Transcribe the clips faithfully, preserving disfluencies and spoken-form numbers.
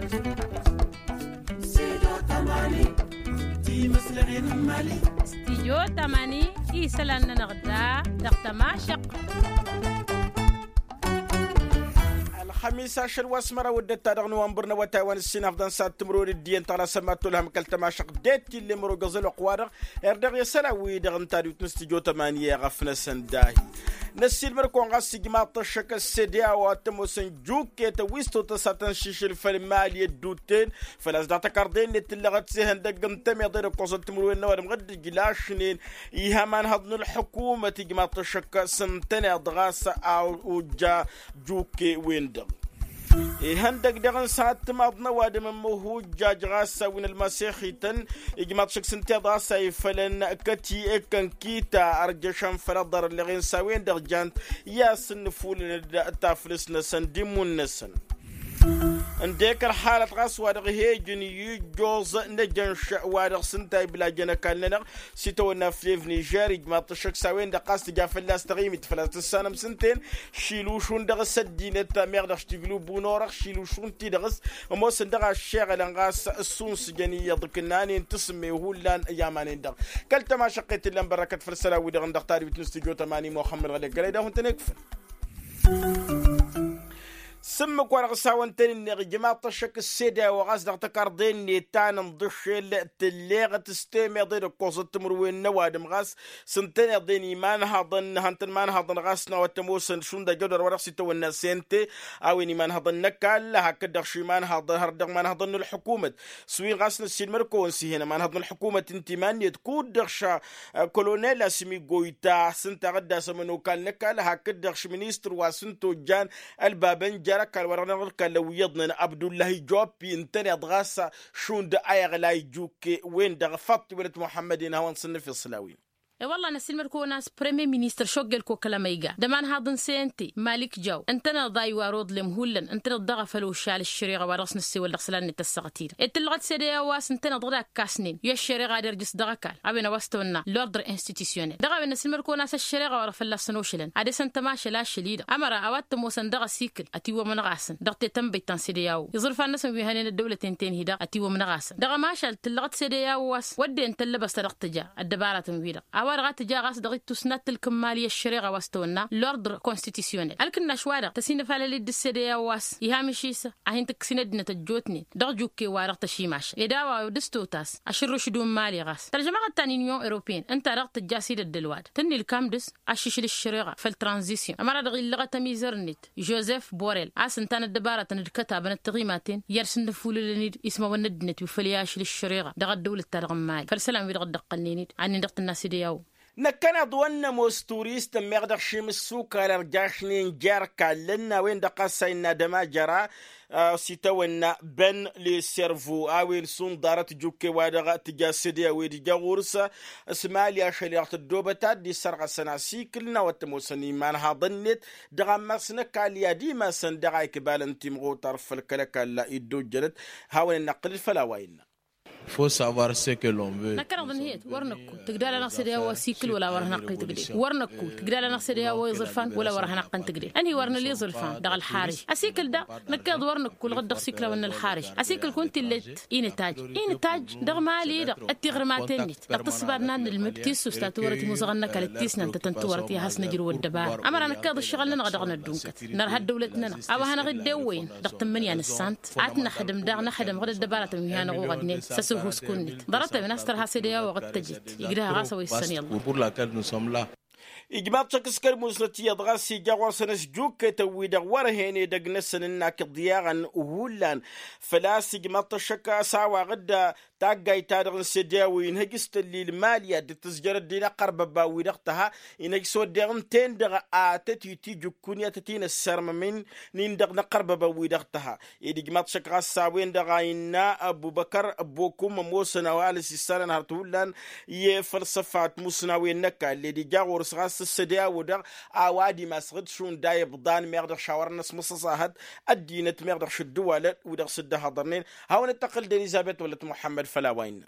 Stidyo tamani isălan-nănăɣ da dăɣ-tămašăqq. Ălxămis ašăl wa s-măraw d-ătta dăɣ-nowănbăr n-awătay wa n-ǝssin hăfḍăn s-ad-timǝrwen d-iyyăn tăɣlasăn mad-tolhăm kăl-tămašăqq d-e-t ill'-e mărogăẓ ălwăqq-wa-dăɣ. Erdăɣ i-isălan-wi-dăɣ n-tadwit n-stidyo tamani i-ɣăf-năsăn dahi. Năssiilmăr-kăwăn ɣas ijmaḍ-t ăššăk s-sede a-wa t-ămoosăn jukket ăwwis totăs ad-tăn-šišǝl făll-imal i-ădduten făl-a-s dăɣ-tăkarḍe-net tǝllăɣăt s-ihăndăgg n-tămiḍe d-ǝkkoẓăt timǝrwen n-ăwadǝm ɣǝddǝj lašnen. Iha imanhăḍ n-ǝlḥǝkumăt ijmaḍ-t ăššăk s-ǝntăneḍ ɣas a ojja jukke-wen-dăɣ. Ihăndăgg daɣ n-săhat timaḍ n-ăwadǝm n-imǝhhujjaj ɣas a-wen ălmasexităn ijmaḍ-t ăššăk s-ǝnta iḍa a-s a ifălăn kăt-i-ekkăn kita ărjăšăn făll-aḍarălleɣen s-a-wen-dăɣ jan-t i-asǝnnǝfulăn d-taflǝst-năsăn d-immun-năsăn. Ǝndek ălxalăt ɣas wa dăɣ-hi-ijǝn i-ijjoẓ n-ejănš wa dăɣ-s ǝnta iblajăn ăkall-nănăɣ s-itawănna flevnižer ijmaḍ-t ăššăk s-a-wen-dăɣ ɣas tǝja fălla-s taɣimit făl-a-s tǝssanăm s-ǝnta-en. Šilušun dăɣ-s ăddinăt meɣ dăɣ-s tiglǝw bunorăɣ šilušun-ti-dăɣ s-ămoosăn dăɣ-aššeɣălăn ɣas ǝssunsǝjăn iyyăḍ ǝknanen tǝsǝmme hullan i-aman-en-dăɣ. Kăl-tămašăqqet ǝllan bărrăkăt făll-isălan-wi-dăɣ n-dăɣ-tadwit n-studyo tămani muxămmăd ɣălek gălăy d-ahun-tăn-ikfăn. S-ǝmmǝk-wa-dăɣ s-hawăn-tăn-innăɣ ijmaḍ-t ăššăk s-sede a-wa ɣas dăɣ-tăkarḍe-net ta n-inḍǝššel tǝlleɣăt s-temeḍe d-ǝkkoẓăt timǝrwen n-ăwadǝm ɣas s-ǝntăneḍ-en imanhaḍăn hăn-tăn-imanhaḍăn ɣas n-a-wa t-ămoosăn šund ajădor wa dăɣ-s itawănna sente a-wen imanhaḍăn n-ăkall hakd-dăɣ š-imanhaḍăn har dăɣ-imanhaḍăn n-ălḥukumăt. S-wi ɣas năssiilmăd-kăwăn s-ih'-en imanhaḍăn n-ălḥukumăt ǝnta iman-net kud-dăɣ ša kolonel asmi goyta s-ǝnta a ɣǝddas ămănokal n-ăkall hakd-dăɣ š-ministăr wa s-ǝnta ojjan ălbabăn jer-ăkall wa dăɣ-năɣ ălkall ăwwǝyyăḍnen abdullahi joppi ǝntăneḍ ɣas šund a iɣlay jukke-wen-dăɣ făṭṭ iwălăt muḥămmăd-en a hawăn-sǝnnǝf iṣlawen. E-wălla năssiilmăd-kăwăn a-s premier ministăr šoggel kokăl amăyga d-ămanhaḍ n-sente malik jaw ǝntăneḍ a iwar uḍlem hullan ǝntăneḍ daɣ a făl ošal ăššăreɣa wa dăɣ-s năssewăl dăɣ-isălan-net ăssaɣăt-i-dăɣ e d-tǝllăɣăt sede a-wa s-ǝntăneḍ dăɣ-dd-akkasnen i-ăššăreɣa ad-irjǝs dăɣ-ăkall a-wen a-wa s-tăwănna l'ordre institutionnel dăɣ-a-wen năssiilmăd-kăwăn a-s ăššăreɣa wa dăɣ-fălla-săn ošălăn ad-esăn tămašăl ašăl-i-dăɣ ămăra a-wa t-ămoosăn dăɣ-asikǝl ătiwwămănăɣ-asăn dăɣ-tetănbăyt ta n-sede a-wo iẓrǝfan-năsăn wi hănen ăddăwlăten ten-hi-dăɣ ătiwwămănăɣ-asăn dăɣ-ămašal tǝllăɣăt sede a-wo a-s wădden tăllăbăst ta dăɣ-tǝja ăddăbaratăn-wi-dăɣ a-wa-dăɣ a tǝja ɣas dăɣ-ittus n-ad-tǝlkǝmmal i-ăššăreɣa wa s-tăwănna l'ordre constitutionnel ălkǝnnaš-wa-dăɣ tăsinăfalăl-dd d-sede a-wo a-s iha măšis a hin-tǝkkǝsin ăddinăt ăjjootnen dăɣ-jukke-wa-dăɣ tăšimašăl ed a-wa dăɣ-s totas ašǝrrǝš d-ummal i-ɣas tărjămăɣ-dd ta n-inyon europeen ǝnta-dăɣ tǝjja s-idăddăl wa-dăɣ tǝnnǝlkam dăɣ-s ašišǝl ăššăreɣa făll-tranzisyon ămăra-dăɣ illăɣăt ămizăr-net jozef borel a-s ǝnta n-ăddăbarătăn d-kătabăn d-tiɣimaten i-ad-sǝnnǝfulǝlăn-dd ismawăn n-ăddinăt wi făll-i-ašǝl ăššăreɣa dăɣ-ăddăwlăt-ta-dăɣ n-imali făll-isălan-wi-dăɣ dd-ǝqqălnen-dd. Ad-nin-dăɣ tǝnna s-ede a-wo. Năkkăneḍ wăr nămoos turistăn meɣ dăɣ-šim ǝssukal ărjašnen jer-kallăn n-a-wen-dăɣ ɣas a innă ad-ămajăra s-itawănna băn leservo a-wen šund ḍarăt jukke-wa-dăɣ tǝja s-ede a-wen ija ɣur-s s-imali ašăl i-dăɣ tăddoobăt ad-dd-issărɣăsăn asikǝl n-a-wa t-ămoosăn imanhaḍăn-net dăɣ-ammas n-ăkall i-ad-imasăn dăɣ-a ikbalăn timɣutar făll-kăl-ăkall iddojjănăt. Hawăn-in-năqqǝlǝl făll-a-wa innă. Năkkăneḍ ǝnhǝyăt wăr năkku tǝgdal-anăɣ s-ede a-wa sikǝl wăla wăr hanăɣ-t-tǝgdel wăr năkku tǝgdal-anăɣ s-ede a-wa iẓǝrfan wăla wăr hanăɣ-tăn-tǝgdel ǝnhǝy wăr nǝla iẓǝrfan dăɣ-ălxariš ăsikǝl daɣ năkkeḍ wăr năkku ǝlɣǝd dăɣ-siklawăn n-ălxariš ăsikǝl kunta illet inǝtajj inǝtajj dăɣ-imali-dăɣ d-tiɣrǝmaten-net dăɣ-tǝssǝba ad-nannǝlmǝd tissust ta tiwărăt imuzăɣăn n-ăkall d-tisnant ta tăn-tiwărăt i-ad-has-năjrǝw ăddăbara ămăra năkkeḍ ǝššăɣǝl-nănăɣ dăɣ-năddunkăt nărha ăddăwlăt-nănăɣ a-wa hanăɣ-dd-ewwăyăn dăɣ-tǝmmǝnǝya n-ǝssant ad-t-năxdǝm daɣ năxdǝm ɣǝd ăddăbaratăn wi hanăɣ-uɣădnen s-ăsǝhhus-kǝwăn-net ḍarăt-a-wen a-s tărha s-ede a-wa ɣǝd tăjăt igdăh ɣas a-wa issăn iḍa. Ijmaḍ-t ăkk s-kăl-musnăt iyyăḍ ɣas ija ɣur-săn s-jukket-wi-dăɣ wăr hen edăgg-năsăn ǝnnak iḍyaɣăn hullan. Făl-a-s ijmaḍ-t ăššăk a-s a-wa ɣǝd taggayt-ta-dăɣ n-sede a-wa inhăj s-tăllil mali ad-dd-tǝzjăr ăddin ăqqărbăba-wi-dăɣ tăha inhăj s-oddeɣ ǝnta-en-dăɣ a tăt-itij ǝkkǝn i-ad-tăt-in-ăssărmămen-in-dăɣ n-ăqqărbăba-wi-dăɣ tăha. Ed ijmaḍ-t ăššăk ɣas a-wen-dăɣ a innă ăbubăkăr ăbbokum ămoosăn a-wa ălăs issanăn hărăt hullan i-fălsăfa t-musnawen n-ăkall ed ija ɣur-s ɣas s-sede a-wa dăɣ a-wa d-imasăɣ-dd šund a ibḍan meɣ dăɣ-šawărăn ăsmăṣăṣahăt ăddinăt meɣ dăɣ-šǝddǝwalăn wi-dăɣ s-dd-ăhhăḍărnen. Hawăn-dd-tăqqǝl d-elizăbet wălăt muḥămmăd făll-a-wa innă.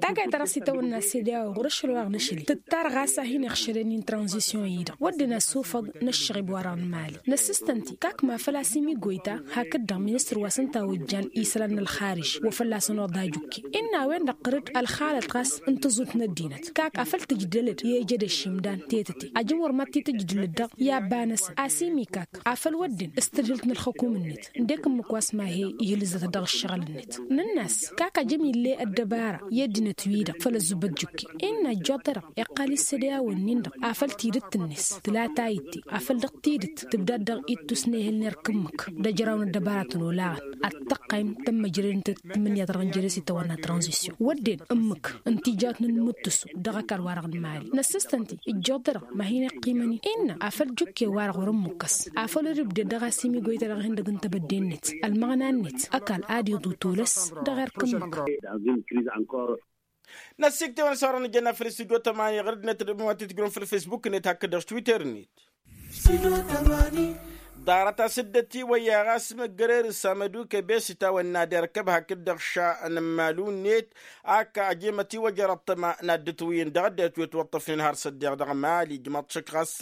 Takayt-ta-dăɣ s-itawănna sedeao ɣur-ašăl wa dăɣ-năšli tǝttar ɣas a hin-iɣšălăn-in tranzisyon-i-dăɣ wădden ăssufăḍ n-ăššăɣb-wa-dăɣ n-imali. Năssǝstăn-t-i kak ma făl a-s imigoyta hakd-dăɣ ministăr wa s-ǝnta a ojjan isălan n-ălxariž wa fălla-săn oḍa ajukke. Innă a-wen-dăɣ ɣǝr-dd ălxalăt ɣas n-tǝẓut n-ăddinăt kak afăl tǝjdălăd i-ejăd ăššimdan tetăte ajăn wăr mad-t-tǝjdǝlăd-dăɣ i-abba-năsăn a-s imikak afăl wădden s-tadhǝlt n-ălxukum-net. Ǝndek ǝmmǝk wa s-ma he-ihlǝzăt dăɣ-ǝššăɣǝl-net nǝnn'-as kak ajăn ill'-e ăddăbara i-ăddinăt-wi-dăɣ făll-ăzzubăt jukke. Innă ăjjoḍ-ta-dăɣ iqqal-i s-sădăyawăn-nin-dăɣ afăl tidǝt-net tǝla tayǝtte afăl dăɣ-tidǝt tǝbdad dăɣ-ittus n-ehel n-erk ǝmmǝk d-ăjraw n-ăddăbaratăn olaɣăn ad-tăqqayǝm tămmăjrădăn-tăt tǝmmǝnǝya-ta-dăɣ n-jere s-itawănna tranzisyon wădden ǝmmǝk ǝnta ijawătnen imǝttǝsu dăɣ-ăkall-wa-dăɣ n-imali. Năssǝstăn-t-i ǝjjoḍ-ta-dăɣ ma hin-iqqimăn-in innă afăl jukke-wa-dăɣ wăr-ămmukkăs afăl wăr-ǝbded dăɣ-a-s imigoyta dăɣ-hin-dăgg n-tebădde-net ălmăɣna-net ăkall ad-iḍu tolăs dăɣ-erk ǝmmǝk. Năssiktewăn s-orăn ǝjănna făll-studyo tămani ɣăr-dd-net d-măwatitǝjrǝwăn făll-facebook-net hakd-dăɣ s-twitter-net. Ḍarăt-as dd-ătiwăyya ɣas măggărer s-amădukăb i-s itawănna d-erkăb hakd-dăɣ ša n-ămmalu-net. Ak ajemăt iwăjăr ăṭṭăma n-ad-dd-ătwǝyyăn dăɣ-ăddinăt wi ătwăṭṭăfnen har s-ăddeɣ dăɣ-mali ǝjmaḍ-t šăkk ɣas.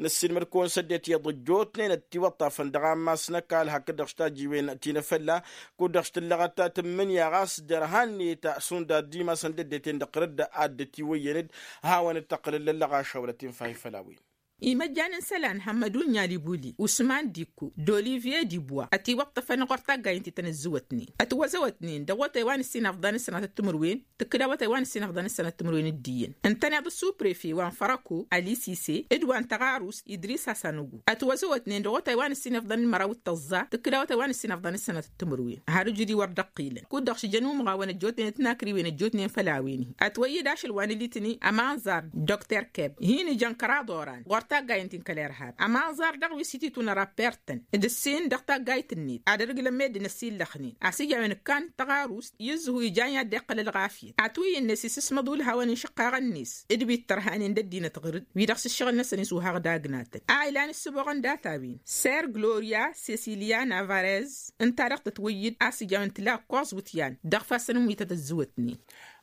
Năssiilmăd-kăwăn s-ăddinăt iyyăḍ ăjjootnen ătiwăṭṭafăn dăɣ-ammas n-ăkall hakd-dăɣ s-tajiwen ti n-efălla. Kud-dăɣ s-tǝllăɣăt tǝmmǝnǝya ɣas derhan-net šund ad-dd-imasăn d-ăddinăt-en-dăɣ ɣur-dd ad-dd-ătiwăyyăn-dd. Hawăn-dd-tăqqǝlăn lăllăɣaša wăla tinfah i-făll-a-wen. Imăjjan n-isălan hămmădun n-alibuli usman dikku d-olivye dibwa ătiwăṭṭăfăn ɣur-taggayǝn ti tăn-ǝzzǝwătnen ătwăzăwătnen dăɣ-awătay wa n-ǝssin afḍăn s-sănatăt timǝrwen. Tǝkkǝd awătay wa n-ǝssin afḍăn s-sănatăt timǝrwen d-iyyăn ǝntăneḍ s-uprefe wa n-fărăko ălisise d-wa n-tăɣarust idris asanugu ătwăzăwătnen dăɣ-awătay wa n-ǝssin afḍăn n-măraw d-tăẓẓa tǝkkǝd awătay wa n-ǝssin afḍăn s-sănatăt timǝrwen. Har ǝjǝd-i wăr dd-ăqqilăn kud-dăɣ šijăn umɣawăn ăjjootnen d-tinakriwen ăjjootnen făll-a-wen-hi ătwăyyăd ašăl wa n-ilitni ămanẓar dr keb hin-ijăn kăraḍ oran ɣur-taggayǝn ti n-kăl-irhab ămanẓar dăɣ-wi s-ititun ărappert-tăn d-ǝssin dăɣ-taggayt-net ad-ărgǝlăn meddǝn ăsillăxnen a-s ija a-wen ǝkkan tăɣarust i-ǝzzǝhu ijan i-ad-dd-iqqăl ălɣafyăt. Ătwǝyyǝn-net isǝsmăḍ ulhawăn n-išǝqqaɣăn-net d-wi t-tărhanen d-ăddinăt ɣǝr-dd wi-dăɣ s-ǝššăɣǝl-năsăn isuhăɣ d-agnatăn a ilan ǝssǝboɣăn data-win ser gloria sesilia navarez ǝnta-dăɣ tătwǝyyǝd a-s ija a-wen tǝla ǝkkoẓ iwǝtyan dăɣ-ifassăn n-wi tăt-ăzzǝwătnen.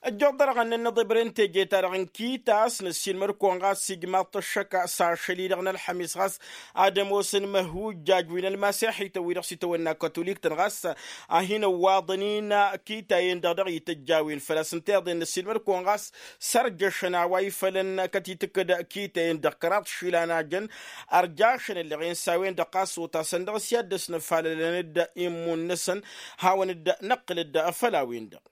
Ăjjoḍ-dăɣ ănnănăḍ ibren teje-ta-dăɣ n-kita a-s năssiilmăd-kăwăn ɣas ijmaḍ-t ăššăk s-ašăl-i-dăɣ n-ălḥămis ɣas ad-ămoosăn măhujjaj wi n-ălmaseḥităn wi-dăɣ s-itawănna kătolik-tăn ɣas a hin-ăwwaḍăn-in kita-en-dăɣ dăɣ-ităjj a-wen făl-a-s ǝnta iḍen năssiilmăd-kăwăn ɣas sărjăšăn a-wa ifălăn kătitǝkkǝd kita-en-dăɣ kăraḍ išilan a jăn ărjašăn ǝlleɣ-en s-a-wen-dăɣ ɣas otasăn dăɣ-s i-ad-dd-ăsnăfalălăn-dd immun-năsăn. Hawăn-dd-năqqǝl-dd făll-a-wen-dăɣ.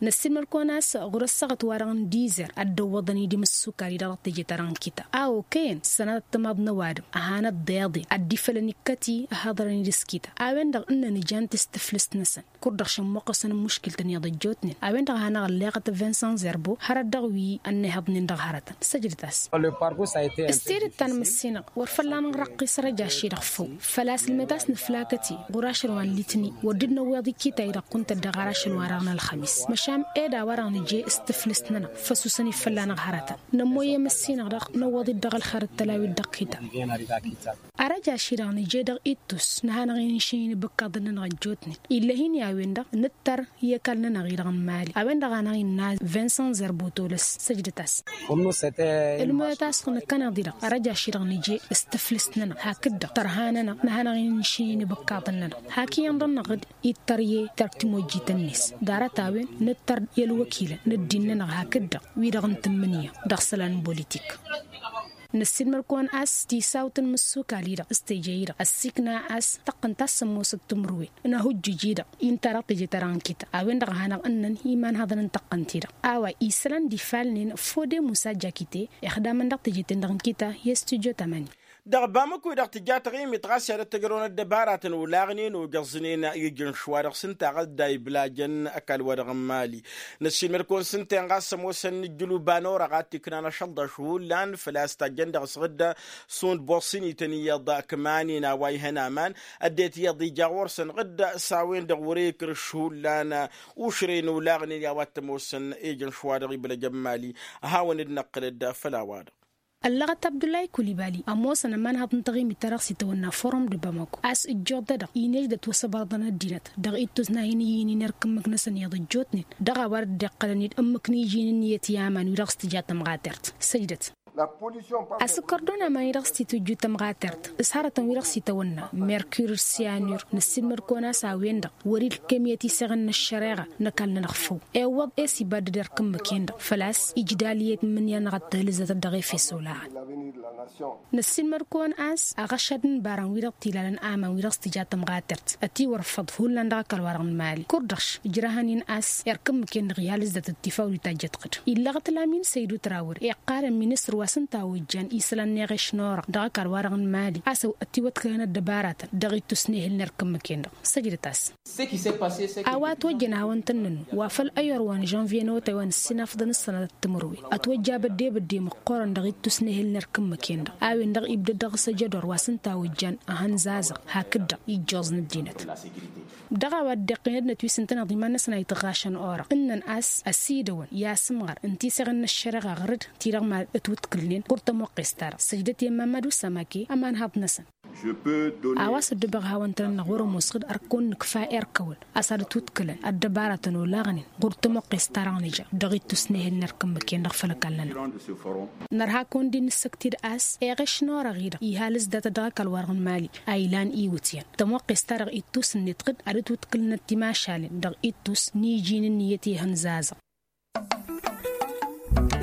Năssiilmăd-kăwăn a-s ɣur-ăssaɣăt-wa-dăɣ n-dizer ad-dd-ăwwăḍăn-dd imǝssukal-i-dăɣ dăɣ-teje-ta-dăɣ n-kita a okăyăn sănatăt timaḍ n-ăwadǝm ăhanăt d-iḍe ad-dd-ifălăn ikkăt-i ăhaḍărăn-dd s-kita. A-wen-dăɣ ǝnnăn ijan-t s-tǝflǝst-năsăn kud-dăɣ šămmuqqăsăn n-muškǝl-tăn iyyăḍ ăjjootnen a-wen-dăɣ a hanăɣ-ălleɣăt vincent zerbo hărăt dăɣ-wi ănnihăḍnen dăɣ-hărătăn. Săjdăt-as. S-tidǝt ta n-măssinăɣ wăr fălla-nănɣ răqqis răj ašši-dăɣ făw făl-a-s ǝlmet a-s nǝflakăt-i ɣur-ašăl wa n-litni wăr dd-năwweḍ ikkita-i-dăɣ kunta-dd dăɣ-ara ašăl-wa-dăɣ n-ălxămis măšan ed a-wa-dăɣ nǝje s-tǝflǝst-nănăɣ făsusăn-i fălla-năɣ hărătăn. Nămmoyye măssinăɣ-dăɣ năwwăḍ-dd dăɣ-ălxer d-tălawit dăɣ-kita. Arăj ašši-dăɣ nǝje dăɣ-ittus nǝhanăɣ-in ǝnšǝyăn ibǝkkaḍăn-nănăɣ ăjjootnen ill'-e-hin i-a-wen-dăɣ nǝttăr i-ăkall-nănăɣ-i-dăɣ n-imali. A-wen-dăɣ a hanăɣ-innă vincent zerbo tolăs săjdăt-as. Ǝlmăyăt a-s nǝkkăneḍ-i-dăɣ arăj ašši-dăɣ nǝje s-tǝflǝst-nănăɣ hakd-dăɣ tărha-nănăɣ nǝhanăɣ-in ǝnšǝyăn ibǝkkaḍăn-nănăɣ hak iyyăn dăr-năɣ-dd ittăr i-terk timojjiten-net. Ḍarăt-a-wen nǝttăr i-ălwăkilăn n-ăddin-nănăɣ hakd-dăɣ wi-dăɣ n-tǝmmǝnǝya dăɣ-isălan n-politik. Năssiilmăd-kăwăn a-s tisawt n-imǝssukal-i-dăɣ s-teje-i-dăɣ ăssiikna a-s tăqqăn ta s-ămoosăt timǝrwen n-ahujjuj-i-dăɣ inta dăɣ-teje-ta-dăɣ n-kita a-wen-dăɣ a hanăɣ-ǝnnăn imanhăḍăn n-tăqqăn-ti-dăɣ. A-wa isălan d-ifalnen fode musa jakite ixdamăn dăɣ-teje-ten-dăɣ n-kita i-studyo tămani. Dăɣ-bamuk-wi-dăɣ tǝja taɣimit ɣas i-ad-ăttăjrăwăn ăddăbaratăn olaɣnen ojăẓnen ijǝnš wa dăɣ-s ǝnta a ɣas dd-a iblajăn ăkall-wa-dăɣ n-mali. Năssiilmăd-kăwăn s-ǝnta-en ɣas ămoosăn n-ǝjjǝlub a n-orăɣ ad-t-iknan ašăl d-ašhullan făl-a-s tajjăn dăɣ-s ɣǝdda šund boṣ-inităn iyyăḍ kămanen a-wa ihăn aman ăddinăt iyyăḍ ija ɣur-săn ɣǝdda s-a-wen-dăɣ wăr-e ikr ašhullan. Ušrăy n-olaɣnen i-a-wa t-ămoosăn ijǝnš wa dăɣ-iblăjăn mali. Hawăn-dd-năqqǝlăd făll-a-wa-dăɣ. Ăllăɣăt abdullahi kulibali ămoosăn ămanhăḍ n-taɣimit ta dăɣ-s itawănna forum d-bamako a-s ǝjjuḍ-dădăɣ inej d-ătwăsăbărăḍăn ăddinăt dăɣ-ittus n-ad-hin-ǝyyǝynin erk ǝmmǝk-năsăn iyyăḍ-ăjjootnen dăɣ-a-wa dd-iqqălăn-dd ǝmmǝk n-iji n-ǝnniyăt i-aman wi dăɣ-s tǝja tămɣatert. Săjdăt. Asǝkkăr d-onam-ani dăɣ-s titujju tămɣatert s-hărătăn wi dăɣ-s itawănna merkur d-siyanur năssiilmăd-kăwăn a-s a-wen-dăɣ wăr-ila kăymiyăt isăɣăn n-ăššăreɣa n-ăkall-nănăɣ făw. Iwwăḍ e-s ibadăd erk ǝmmǝk-en-dăɣ făl-a-s ijda ăliyăt n-imǝnyan dăɣ-ăttăhălǝzzătăt dăɣ-efes olaɣăn. Năssiilmăd-kăwăn a-s aɣăšad n-ibarăn wi-dăɣ t-ilalăn aman wi-dăɣ s-tǝja tămɣatert ătiwărfăḍ hullan dăɣ-ăkall-wa-dăɣ n-imali kurdăš ǝjrăhăn-in a-s erk ǝmmǝk-en-dăɣ ihalǝzzătăt tifawdit ta ǝjjătɣăd. Illăɣăt lamin săydu trawăr iqqalăn ministăr wa s-ǝnta a ojjan isălan n-eɣeš n-orăɣ dăɣ-ăkall-wa-dăɣ n-imali a-s ătiwătkălăn ăddăbaratăn dăɣ-ittus n-ehǝl n-erk ǝmmǝk-en-dăɣ. Săjdăt-as. A-wa ătwăjjăn a hawăn-tăn-nănnu wa făl ăyyor wa n-žănvye n-awătay wa n-ǝssinafăḍăn s-sănatăt timǝrwen ătwăjja bădde-bădde măqqoorăn dăɣ-ittus n-ehǝl n-erk ǝmmǝk-en-dăɣ a-wen-dăɣ ibdăd dăɣ-s ejădor wa s-ǝnta a ojjan ăhăn zazăɣ hakd-dăɣ ijjoẓ n-ăddinăt. Dăɣ-a-wa dd-iqqinădnăt wi s-ǝntăneḍ iman-năsăn a itɣašăn orăɣ ǝnnăn a-s ăsidăwăn i-asǝmɣar n-tiseɣen n-ăššăreɣa ɣăr-dd ti-dăɣ mad-ătwǝtkǝlnen ɣur-tămoqqes-ta-dăɣ săjdăt i-ămmamad usamake ămanhăḍ-năsăn. A-wa s-ăddubăɣ hawăn-tăn-ănnăɣ wăr-ămoosăɣ-dd ărkăwăn nǝkfa erk-ăwăn a-s ad-ătwǝtkǝlăn ăddăbaratăn olaɣnen ɣur-tămoqqes-ta-dăɣ nǝja dăɣ-ittus n-ehel n-erk ǝmmǝk-en-dăɣ făll-ăkall-nănăɣ. Nărha kăwăn-dd-in-nǝssăktid a-s eɣeš n-orăɣ-i-dăɣ iha lǝzdatăt dăɣ-ăkall-wa-dăɣ n-imali a ilan iwǝtyan tămoqqes-ta-dăɣ ittus-net dd ad-dd-wǝtkǝlnăt timašalen dăɣ-ittus n-iji n-ǝnniyăt i-hăn zazăɣ.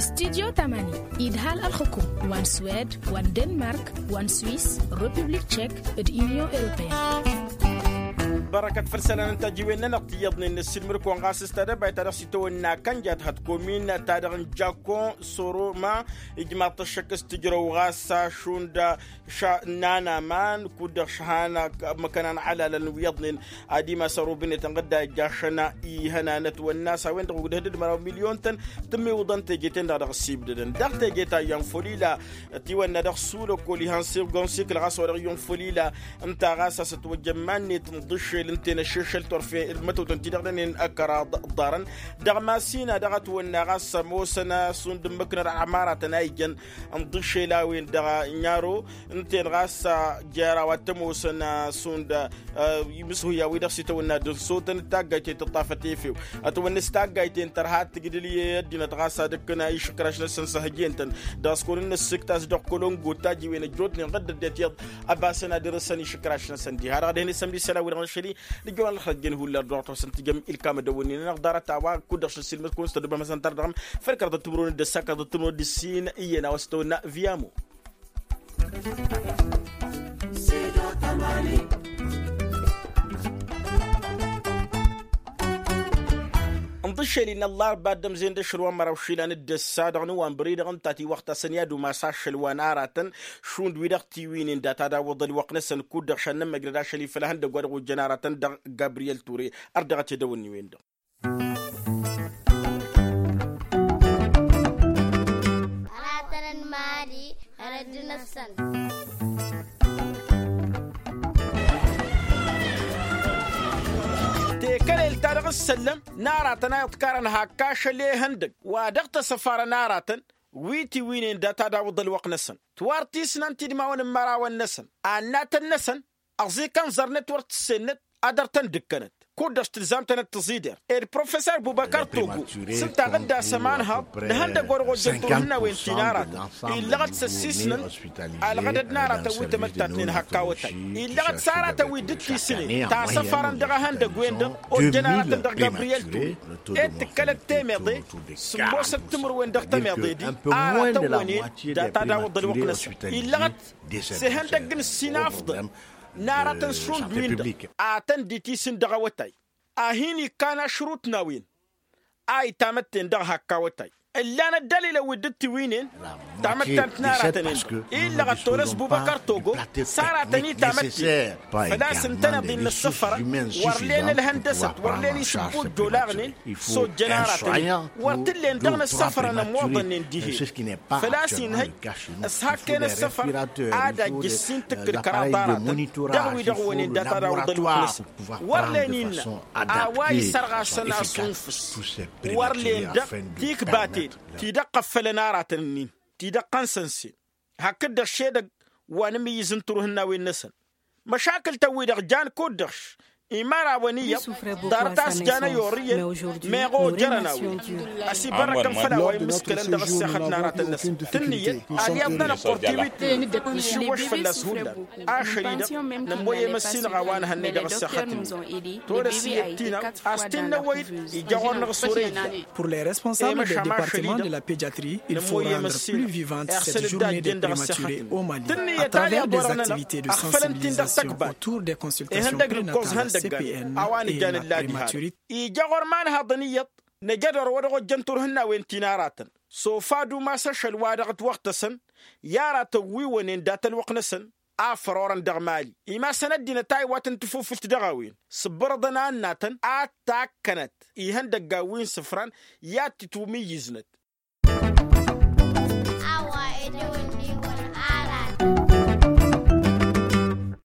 Studyo tamani idhal ălxǝkum wa n-swed wa n-denmark wa n-swis, republik tšek, d-inyon europeyăn. Bărăkăt făll-isălan n-tajiwen-nănăɣ ti iyyăḍnen n-ăssiilmăd-kăwăn ɣas s-tadăbayt ta dăɣ-s itawănna kănjat hăt komin ta dăɣ-n jakon soroma. Ijmaḍ-t ăššăk s-tǝjrăw ɣas šund ša n-anaman kud-dăɣ šhan măkănan ălalăn wi iyyăḍnen ad-imas ărubnet ănɣădda ijjašăn ihănan ătwănna s-a-wen-dăɣ ugdăh d-măraw milyon-tăn. Tǝmmiwǝḍăn teje-ten-dăɣ dăɣ-s ibdădăn daɣ teje ta iyyăn făll-ila ătiwănna dăɣ-sul ăkol ihăn sirgon sikǝl ɣas wa dăɣ-iyyăn făll-ila. Ǝnta ɣas a-s ătwăjja iman-net n-iḍǝššel ǝnta-en ăššešăl turfen d-mătotăn ti-dăɣ dănen ăkăraḍ ḍarăn dăɣ-masina dăɣ-ătwănna ɣas ămoosăn a-s und ǝmmǝknăt ămaratăn a ijăn n-iḍǝššel a-wen dăɣ-ănyaro. Ǝnta-en ɣas jer-a-wa t-ămoosăn a-s und imǝshuya-wi-dăɣ s-itawănna d-ănsotăn d-taggayt-en tǝṭṭafăt efew. Ătwănna s-taggayt-en tărha ad-tǝgdǝl i-ăddinăt ɣas ad-ǝkkǝn išǝkraš-năsăn s-hăjjen-tăn. Dăɣ-s kăwăn-in-nǝssǝkt a-s dăɣ-kălongo d-tajiwen ăjjootnen ɣǝddăd-det iyyăḍ ăbasăn ad-irǝsăn išǝkraš-năsăn diha-dăɣ ad-hin-isămd isălan-wi-dăɣ n-ašăl-i. Nǝjjăwăn ălxăjjăn hullan dăɣ-tăwăsăn tijăm ilkam ădăwănnin-nănăɣ ḍarăt a-wa kud-dăɣ šăn silmăt-kăwăn s-tădubăm hăsăn tar dăɣ-m făl kăraḍăt timǝrwen d-ăssa kăraḍăt timǝrwen d-ǝssin iyyăn a-wa s-tăwănna viamo. N-tiššălin n-ăllarba dd-ămzen d-ašăl wa n-măraw išilan d-ăssa dăɣ-năwănbăr-i-dăɣ ǝnta tiwăɣta a-s ăniyad umas ašăl wa n-aratăn šund wi-dăɣ tiwǝynen data d-awǝḍ ălwăqq-năsăn kud-dăɣ šăn nămmăjrăd ašăl-i făll-ehăndăgg wa dăɣ-ojjăn aratăn dăɣ-gabriyel ture. Ărdăɣăt i-dăwănniwen-dăɣ. Aratăn n-imali ărădd-năsăn. Tekălel-ta-dăɣ ǝssăllăm n-aratăn a iḍkarăn hakk ašăl ehăndăgg wa dăɣ-t-ăsăfarăn aratăn wi tiwǝynen data d-awǝḍ ălwăqq-năsăn. Tiwar tisnant idmawăn n-imărawăn-năsăn annatăn-năsăn ăẓikăn ẓărnăt wăr t-ǝssennăt ad-dăr-tăn-dd-ǝkkănăt kud-dăɣ s-tǝlzam-tăn ad-tǝẓider. Ed profesăr bubăkăr togo s-ǝnta ɣǝdda s-ămanhăḍ n-ehăndăgg wa dăɣ-ojjăn turhǝnnawen ti n-aratăn illăɣăt s-ăssisnăn alɣădăd n-aratăn wi tămăttatnen hakk awătay. Illăɣăt s-aratăn wi dd-tisǝnen ta săfarăn dăɣ-ehăndăgg-wen-dăɣ ojjăn aratăn dăɣ-gabriyel togo ed tǝkkălăt temeḍe s-ămoosăt timǝrwen dăɣ-temeḍe-di. Aratăn wănen data d-awǝḍ ălwăqq-năsăn illăɣăt s-ehăndăgg n-ǝssin afḍăn n-aratăn šund-win-dăɣ a tăn-dd-itisǝn dăɣ-awătay a hin-ikkan ašrut n-a-wen a itamătten dăɣ-hakk awătay. Ǝllan ăddălilăn wi dd-tiwǝynen tamăttant n-aratăn-en-dăɣ illăɣăt tolăs bubăkăr togo s-aratăn itamătten făl-a-s ǝntăneḍ-in n-ăssăfărăn wăr len ălhăndăsăt wăr len isǝbbu ăjjolaɣnen s-ojjăn aratăn-in wăr t-ǝllen dăɣ-năssăfărăn ămmoḍănnen dihen. Făl-a-s inhăj s-hakken ăssăfăr ad-ajj ǝssin tǝkkǝl kăraḍ aratăn dăɣ-wi-dăɣ wănen data d-awǝḍ ălwăqq-năsăn wăr len innă a-wa isărɣasăn asunfǝs wăr len dăɣ-tikbaten ti dăɣ-qăffălăn aratăn-nin ti dăɣ-qăn săn-sen. hakd-dăɣ šedăgg wa n-amǝyyǝz n-turhǝnnawen-năsăn. Măšakǝl-tăn-wi-dăɣ jan kud-dăɣ š-imarawăn iyyăḍ ḍarăt a-s jan ăyorrǝyăn. Meɣ ojărăn a-wen ăsibărrăkăn făll-a-wa immǝskălăn dăɣ-ăssexăt n-aratăn-năsăn tǝnnǝyăt ad-iyyăḍ n-anăqqur tiwit. Nǝšǝwwăš fălla-s hullan ašăl-i-dăɣ nămwăy emăssinăɣ a-wa n-ehănnăy dăɣ-ăssexăt-nin. Tolăs iyyăt tinăw a-s t-innăwăy-dd ija ɣur-năɣ s-wăr-e-ija. Pour les responsables des départements de la pédiatrie, il faut rendre plus vivante cette journée des prématurés au Mali à travers des activités de sensibilisation autour des consultations prénatales, C P N, et la prématurité. Ija ɣur-ma n-haḍăn iyyăḍ năjădor wa dăɣ-ojjăn turhǝnnawen ti n-aratăn. S-ofadu ma s-ašăl wa dăɣ-ătwăɣtăsăn i-aratăn wi wănen dat-ălwăqq-năsăn a fărorăn dăɣ-mali. Imasăn ăddinăt a iwatăn n-tafufǝlt dăɣ-a-wen s-ǝbbărăḍăn a ǝnnatăn ad-takkănăt ihăndăggan wi n-isǝfran i-ad-tǝtwǝmǝyyǝznăt.